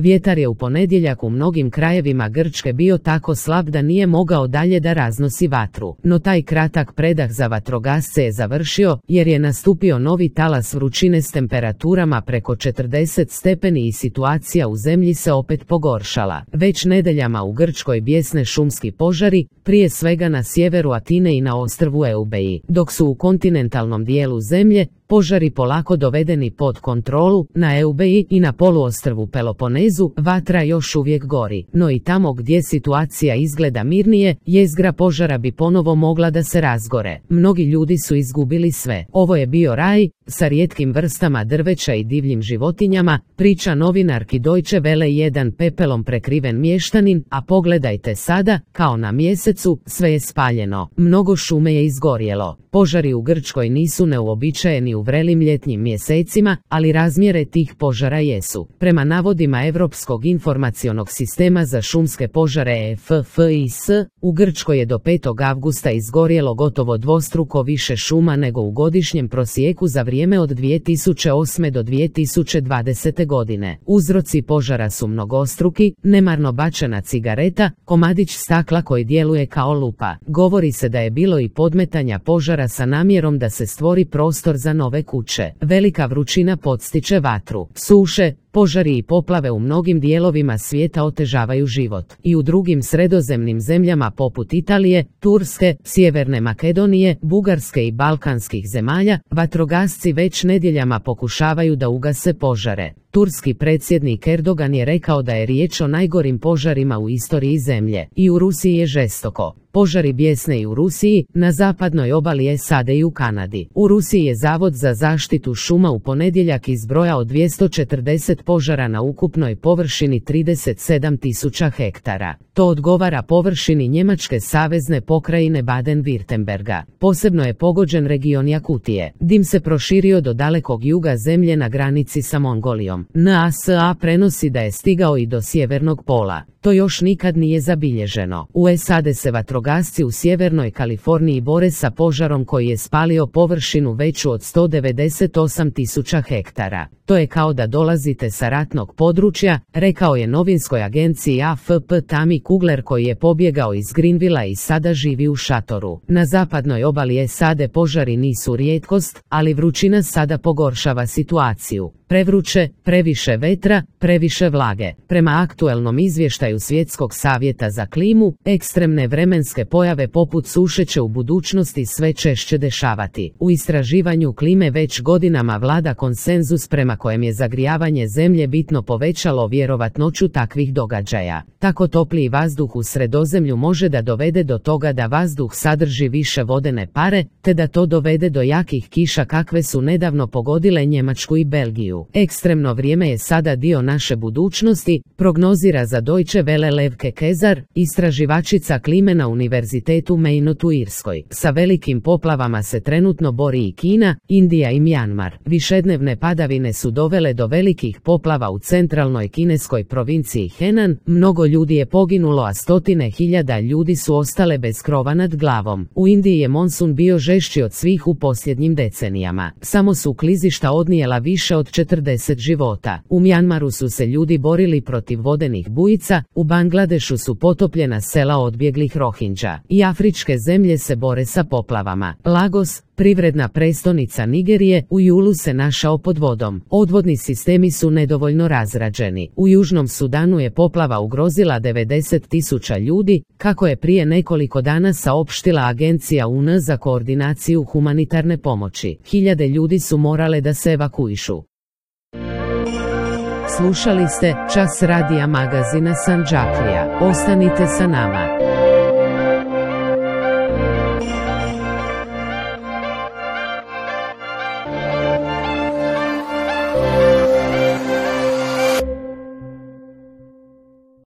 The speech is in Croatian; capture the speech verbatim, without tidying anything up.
Vjetar je u ponedjeljak u mnogim krajevima Grčke bio tako slab da nije mogao dalje da raznosi vatru. No taj kratak predah za vatrogasce je završio, jer je nastupio novi talas vrućine s temperaturama preko četrdeset stepeni i situacija u zemlji se opet pogoršala. Već nedeljama u Grčkoj bijesne šumski požari, prije svega na sjeveru Atine i na ostrvu Eubeji, dok su u kontinentalnom dijelu zemlje požari polako dovedeni pod kontrolu. Na Eubeji i na poluostrvu Peloponezu vatra još uvijek gori, no i tamo gdje situacija izgleda mirnije, jezgra požara bi ponovo mogla da se razgore. Mnogi ljudi su izgubili sve. Ovo je bio raj, sa rijetkim vrstama drveća i divljim životinjama, priča novinarki Deutsche Welle jedan pepelom prekriven mještanin, a pogledajte sada, kao na mjesecu, sve je spaljeno. Mnogo šume je izgorjelo. Požari u Grčkoj nisu neuobičajeni u vrelim ljetnim mjesecima, ali razmjere tih požara jesu. Prema navodima Europskog informacionog sistema za šumske požare E F F I S, u Grčkoj je do petog avgusta izgorjelo gotovo dvostruko više šuma nego u godišnjem prosjeku za vrijeme od dvije tisuće osme do dvije tisuće dvadesete godine. Uzroci požara su mnogostruki: nemarno bačena cigareta, komadić stakla koji djeluje kao lupa. Govori se da je bilo i podmetanja požara sa namjerom da se stvori prostor za nove kuće. Velika vrućina podstiče vatru. Suše, požari i poplave u mnogim dijelovima svijeta otežavaju život. I u drugim sredozemnim zemljama poput Italije, Turske, Sjeverne Makedonije, Bugarske i balkanskih zemalja, vatrogasci već nedjeljama pokušavaju da ugase požare. Turski predsjednik Erdogan je rekao da je riječ o najgorim požarima u istoriji zemlje. I u Rusiji je žestoko. Požari bijesne i u Rusiji, na zapadnoj obali S A D i u Kanadi. U Rusiji je Zavod za zaštitu šuma u ponedjeljak izbrojao dvjesto četrdeset požara na ukupnoj površini trideset sedam tisuća hektara. To odgovara površini Njemačke savezne pokrajine Baden-Württemberga. Posebno je pogođen region Jakutije. Dim se proširio do dalekog juga zemlje na granici sa Mongolijom. N A S A prenosi da je stigao i do sjevernog pola. To još nikad nije zabilježeno. U S A D se vatrogasci u sjevernoj Kaliforniji bore sa požarom koji je spalio površinu veću od sto devedeset osam tisuća hektara. To je kao da dolazite sa ratnog područja, rekao je novinskoj agenciji A F P Tammy Kugler koji je pobjegao iz Greenvilla i sada živi u šatoru. Na zapadnoj obali S A D požari nisu rijetkost, ali vrućina sada pogoršava situaciju. Prevruće, previše vetra, previše vlage. Prema aktuelnom izvještaju Svjetskog savjeta za klimu, ekstremne vremenske pojave poput suše će u budućnosti sve češće dešavati. U istraživanju klime već godinama vlada konsenzus prema kojem je zagrijavanje zemlje bitno povećalo vjerovatnoću takvih događaja. Tako topliji vazduh u Sredozemlju može da dovede do toga da vazduh sadrži više vodene pare, te da to dovede do jakih kiša kakve su nedavno pogodile Njemačku i Belgiju. Ekstremno vrijeme je sada dio naše budućnosti, prognozira za Deutsche Welle Levke Kezar, istraživačica klime na Univerzitetu Maynooth u Irskoj. Sa velikim poplavama se trenutno bori i Kina, Indija i Mjanmar. Višednevne padavine su dovele do velikih poplava u centralnoj kineskoj provinciji Henan, mnogo ljudi je poginulo, a stotine hiljada ljudi su ostale bez krova nad glavom. U Indiji je monsun bio žešći od svih u posljednjim decenijama. Samo su klizišta odnijela više od četrdeset života. U Mjanmaru su se ljudi borili protiv vodenih bujica, u Bangladešu su potopljena sela odbjeglih Rohingya. I afričke zemlje se bore sa poplavama. Lagos, privredna prestolnica Nigerije, u julu se našao pod vodom. Odvodni sistemi su nedovoljno razrađeni. U Južnom Sudanu je poplava ugrozila devedeset tisuća ljudi, kako je prije nekoliko dana saopštila agencija U N za koordinaciju humanitarne pomoći. Hiljade ljudi su morale da se evakuišu. Slušali ste Čas radija magazina Sandžaklija. Ostanite sa nama.